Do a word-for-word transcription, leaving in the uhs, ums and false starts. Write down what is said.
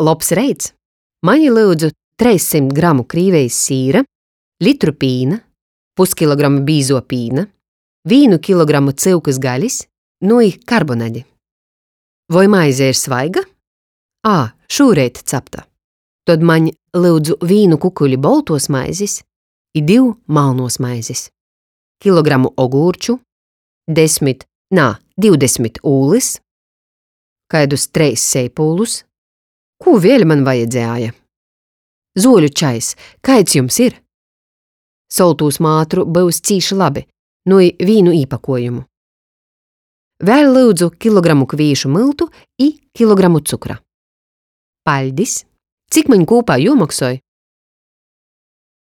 Lobs reits! Maņ lyudzu treissymt gramu Krīvejis sīra, litru pīna, puskilogramu bīzuo pīna, vīnu kilogramu cyukys galis, nu i karbonadi. Voi maize ir svaiga? Ā, šūreit capta. Tod maņ lyudzu vīnu kukuli boltuos maizis i div malnuos maizis, kilogramu ogūrču, desmit, nā, divdesmit ūlys, kaidus treis seipūlus. Kū vēļ man vajadzēja? Zuoļu čajs, kaids jums ir? Soltūs mātru byus cīši labi, nu i vīnu īpakuojumu. Vēļ lyudzu kilogramu kvīšu myltu i kilogramu cukra. Paļdis! Cik maņ kūpā juomoksoj?